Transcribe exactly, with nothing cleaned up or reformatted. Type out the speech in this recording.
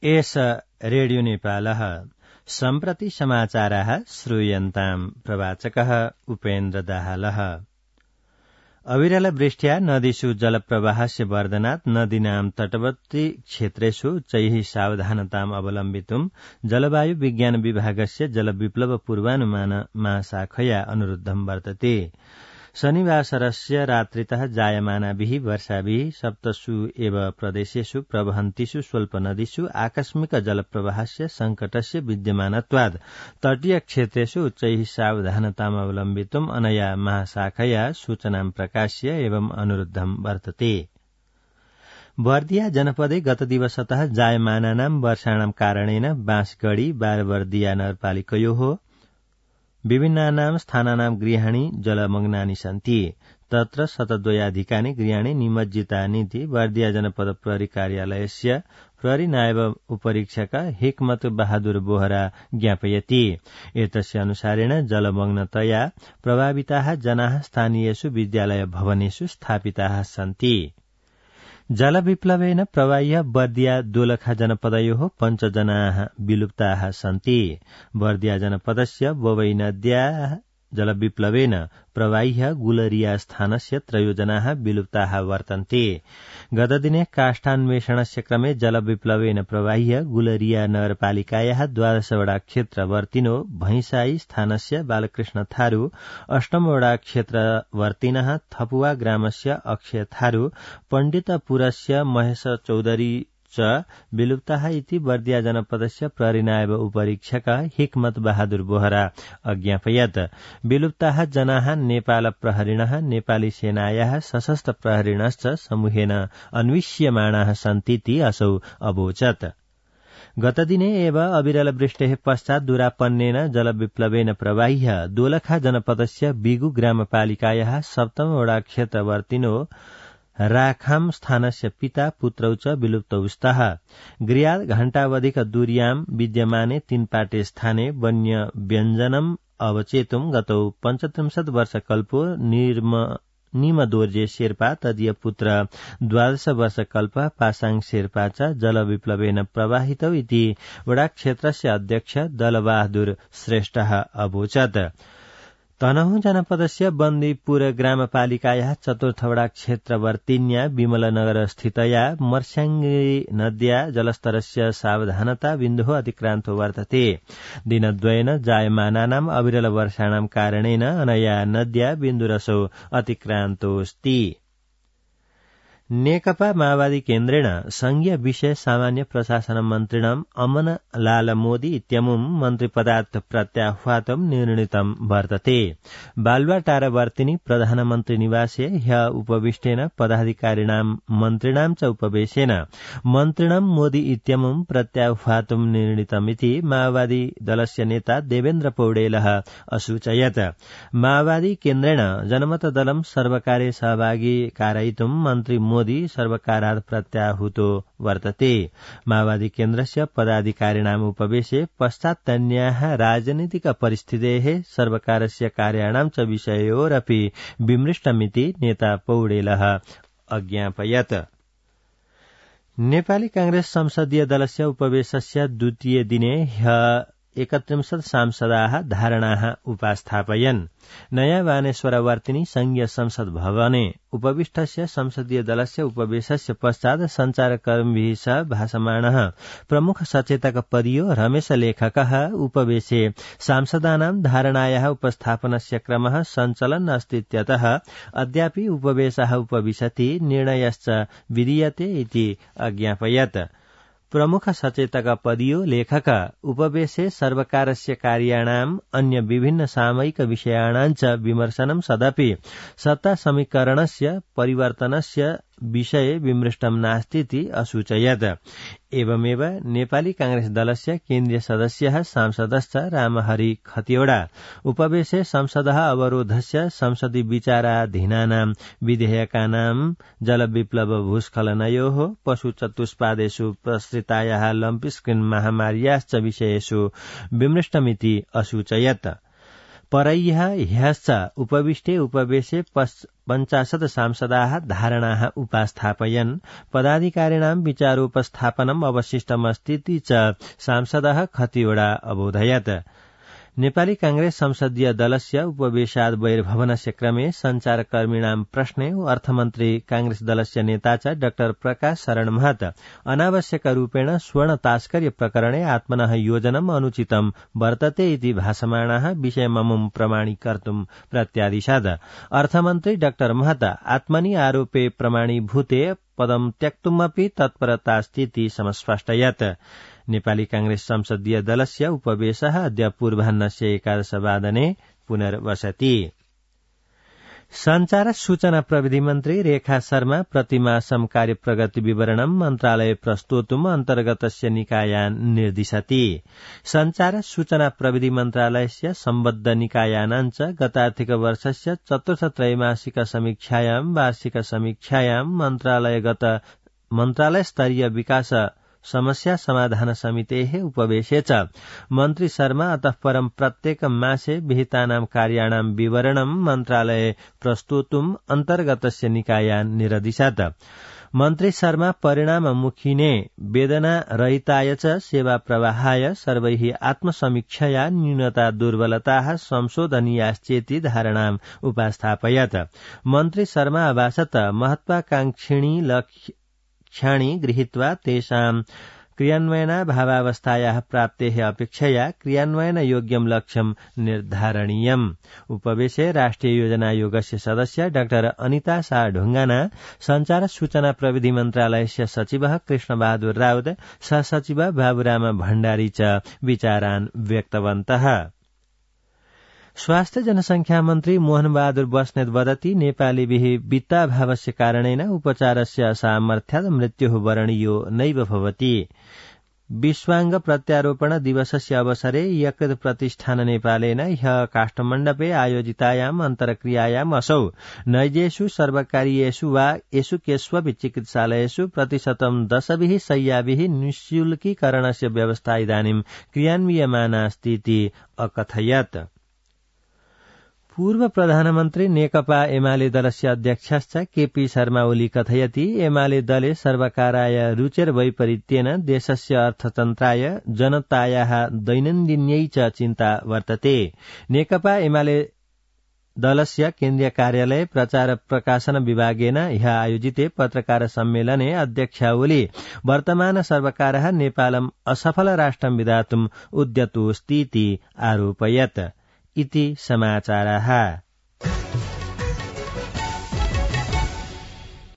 एष रेडियो नेपालः सम्प्रति समाचाराः श्रूयन्ताम्। प्रवाचकः उपेन्द्र दाहालः। अविरल वृष्ट्या नदीषु जलप्रवाहस्य वर्धनात् नदीनां तटवर्ती क्षेत्रेषु उच्चैः सावधानताम् अवलम्बितुम् जलवायु विज्ञान विभागस्य जलविप्लव पूर्वानुमान महाशाखया अनुरुद्धं वर्तते। शनिवासरस्य रात्रितः जायमानाभिः वर्षाभिः सप्तसु एव प्रदेशेषु प्रवहन्तीषु स्वल्पनदीषु आकस्मिक जलप्रवाहस्य संकटस्य विद्यमानत्वात् तटीय क्षेत्रेषु उच्चैः सावधानताम् अवलम्बितुम् अनया महाशाखया सूचनां प्रकाश्य एवं अनुरुद्धं वर्तते। बर्दिया जनपदे गतदिवसतः जायमानानां वर्षाणां कारणेन बाँसगढ़ी बारबर्दिया नगरपालिकयोः विभिन्नानां स्थानानां गृहाणि जलमग्नानि सन्ति। तत्र शतद्वयाधिकानि गृहाणि निमज्जितानीति बर्दिया जनपद प्रहरी कार्यालयस्य प्रहरी नायब उपरीक्षक हिकमत बहादुर बोहरा ज्ञापयति। एतस्य अनुसारेण जलमग्नतया प्रभाविताः जनाः स्थानीयेषु विद्यालय भवनेषु स्थापिताः सन्ति। जलविप्लवेन प्रवाह्य बर्दिया दोलखा जनपदयोः पञ्चजनाः विलुप्ताः सन्ति। बर्दिया जनपदस्य ववै नद्याः जलविप्लवेन प्रवाह्य गुलरिया स्थानस्य त्रयोजनाः विलुप्ताः वर्तन्ते। गतदिने काष्ठान्वेषणस्य क्रमे जलविप्लवेन प्रवाह्य गुलरिया नगरपालिकायाः द्वादशवडा क्षेत्रवर्तिनो भैंसाई स्थानस्य बालकृष्ण थारू, अष्टमवडा क्षेत्रवर्तिनः थपुवा ग्रामस्य अक्षय थारू, पण्डितपुरस्य महेश चौधरी च विलुप्ताः इति बर्दिया जनपदस्य प्रहरी नायब उपरीक्षक हिकमत बहादुर बोहरा अज्ञापयत्। विलुप्ताः जनाः नेपाल प्रहरिणः नेपाली सेनायाः सशस्त्र प्रहरिणश्च समूहेन अन्विष्यमाणाः सन्तीति असौ अवोचत्। गतदिने एव अविरल वृष्टेः पश्चात् दूरापन्नेन जलविप्लवेन प्रवाह्य दोलखा जनपदस्य बिगु ग्रामपालिकायाः सप्तमवडा क्षेत्रवर्तिनो राखाम स्थानस्य पिता पुत्रौ च विलुप्तौ स्तः। गृहात् घण्टावधिक दूर्यां विद्यमाने तीनपाटे स्थाने वन्य व्यञ्जनम् अवचेतुम् गतौ पञ्चत्रिंशत् वर्षकल्पो निर्म निमदोर्जे शेर्पा तदीय पुत्र द्वादश वर्षकल्प पासाङ शेर्पा च जलविप्लवेन प्रवाहितौ इति वडा क्षेत्रस्य अध्यक्ष दलबहादुर श्रेष्ठः अवोचत्। तनहुँ जनपदस्य बन्दीपुर ग्रामपालिकायाः चतुर्थवडा क्षेत्रवर्तिन्या विमलनगर स्थितया मर्स्याङ्गी नद्या जलस्तरस्य सावधानता बिन्दुः अतिक्रान्तो वर्तते। दिनद्वयेन जायमानानाम् अविरल वर्षाणां कारणेन अनया नद्या बिन्दुरसौ अतिक्रान्तोऽस्ति। नेकपा माओवादी केन्द्रेण संघीय विषय सामान्य प्रशासन मन्त्रिणम् अमन लाल मोदी इत्यमुम् मन्त्रिपदात् प्रत्याह्वातुम् निर्णीतम् वर्तते। बालुवाटारवर्तिनि प्रधानमन्त्री निवासे ह्य उपविष्टेन पदाधिकारिणां मन्त्रिणां च उपवेशेन मन्त्रिणम् मोदी इत्यमुम् प्रत्याह्वातुम् निर्णीतमिति माओवादी दलस्य नेता देवेन्द्र पौडेलः असूचयत्। माओवादी केन्द्रेण जनमत दलम् सर्वकारे सहभागी कारयितुम् मन्त्री मोदी सर्वकारात् प्रत्याहूतो वर्तते। माओवादी केन्द्रस्य पदाधिकारिणाम् उपवेशे पश्चात्तन्याः राजनीतिक परिस्थितेः सर्वकारस्य कार्याणां च विषयोरपि विमृष्टमिति नेता पौडेलः अज्ञापयत्। नेपाली कांग्रेस संसदीय दलस्य उपवेशस्य द्वितीय दिने ह्य एकत्रिंशत् सांसदाः धारणाः उपास्थापयन्। नयाँ बानेश्वरवर्तिनि संघीय संसद भवने उपविष्टस्य संसदीय दलस्य उपवेशस्य पश्चात् संचारकर्मीभिः सह भाषमाणः प्रमुख सचेतक पदीयो रमेश लेखकः उपवेशे सांसदानां धारणायाः उपस्थापनस्य क्रमः सञ्चलन् अस्तीत्यतः अद्यापि उपवेशः उपविशति निर्णयश्च विधीयते इति अज्ञापयत्। प्रमुख सचेतक पदीयो लेखक उपवेशे सर्वकारस्य कार्याणाम् अन्य विभिन्न सामयिक विषयाणां च विमर्शनं सदपि सत्ता समीकरणस्य परिवर्तनस्य विषये विमृष्टं नास्तीति असूचयत्। एवमेव नेपाली कांग्रेस दलस्य केन्द्रीय सदस्यः सांसदश्च रामहरि खतिवड़ा उपवेशे संसदः अवरोधस्य संसदि विचाराधीनानां विधेयकानां जलविप्लव भूस्खलनयोः पशु चतुष्पादेषु प्रसृतायाः लम्पी महामार्याश्च विषयेषु विमृष्टमिति असूचयत्। परह्यः ह्यश्च उपविष्टे उपवेशे पञ्चाशत् सांसदाः धारणाः उपास्थापयन् पदाधिकारिणां विचारोपस्थापनम् अवशिष्टमस्तीति च सांसदः खतिवड़ा अबोधयत्। नेपाली कांग्रेस संसदीय दलस्य उपवेशाद् बहिर्भवनस्य क्रमे संचारकर्मिणां प्रश्ने अर्थमन्त्री कांग्रेस दलस्य नेता च डाक्टर प्रकाश शरण महत अनावश्यकरूपेण स्वर्ण तास्कर्य प्रकरणे आत्मनः योजनम् अनुचितं वर्तते इति भासमाणाः विषयममुं प्रमाणीकर्तुं प्रत्यादिशात्। अर्थमन्त्री डाक्टर महत आत्मनि आरोपे प्रमाणीभूते पदं त्यक्तुमपि तत्परतास्तीति समस्पष्टयत्। नेपाली कांग्रेस संसदीय दलस्य उपवेशः अद्य पूर्वाह्नस्य एकादशवादने पुनर्वसति। संचार सूचना प्रविधि मन्त्री रेखा शर्मा प्रतिमासं कार्यप्रगति विवरणं मन्त्रालये प्रस्तोतुम् अन्तर्गतस्य निकायान् निर्दिशति। संचार सूचना प्रविधि मन्त्रालयस्य सम्बद्ध निकायानां च गतार्थिक वर्षस्य चतुर्थ त्रैमासिक समीक्षायां वार्षिक समीक्षायां मन्त्रालयगत मन्त्रालय स्तरीय विकास समस्या समाधान समितेः उपवेशे च मन्त्री शर्मा अतः परं प्रत्येक मासे विहितानां कार्याणां विवरणं मन्त्रालये प्रस्तोतुम् अन्तर्गतस्य निकायान् निरदिशत्। मन्त्री शर्मा परिणाममुखिने वेदना रहिताय च सेवा प्रवाहाय सर्वैः आत्मसमीक्षया न्यूनता दुर्बलताः संशोधनीयाश्चेति धारणाम् उपास्थापयत्। मन्त्री शर्मा अभाषत महत्वाकांक्षिणी लक्ष्य क्षाणि गृहीत्वा तेषां क्रियान्वयनाभावावस्थायाः प्राप्तेः अपेक्षया क्रियान्वयनयोग्यं लक्ष्यं निर्धारणीयम्। उपवेशे राष्ट्रिय योजनायोगस्य सदस्य डाक्टर अनिता शाह ढुङ्गाना, संचार सूचना प्रविधि मन्त्रालयस्य सचिवः कृष्णबहादुर राउत, सहसचिव बाबुराम भण्डारी च विचारान् व्यक्तवन्तः। स्वास्थ्य जनसंख्या मन्त्री मोहन बहादुर बस्नेत वदति नेपालीभिः वित्ताभावस्य कारणेन उपचारस्य असामर्थ्यात् मृत्युः वरणीयो नैव भवति। विश्वांग प्रत्यारोपण दिवसस्य अवसरे यकृत प्रतिष्ठान नेपालेन ह्यः काष्ठमण्डपे आयोजितायाम् अन्तर्क्रियायाम् असौ नैजेषु सर्वकारीयेषु वा येषु केष्वपि चिकित्सालयेषु प्रतिशतं दशभिः शय्याभिः निःशुल्कीकरणस्य व्यवस्था इदानीं क्रियान्वियमानास्तीति अकथयत्। पूर्व प्रधानमन्त्री नेकपा एमाले दलस्य अध्यक्षश्च केपी शर्मा ओली कथयति एमाले दले सर्वकाराय रुचेर वैपरीत्येन देशस्य अर्थतन्त्राय जनतायाः दैनन्दिन्यै च चिन्ता वर्तते। नेकपा एमाले दलस्य केन्द्रीय कार्यालय प्रचार प्रकाशन विभागेन ह्यः आयोजिते पत्रकार सम्मेलने अध्यक्ष ओली वर्तमान सर्वकारः नेपालम् असफल राष्ट्रं विधातुम् उद्यतोऽस्तीति आरोपयत्। इति समाचाराः।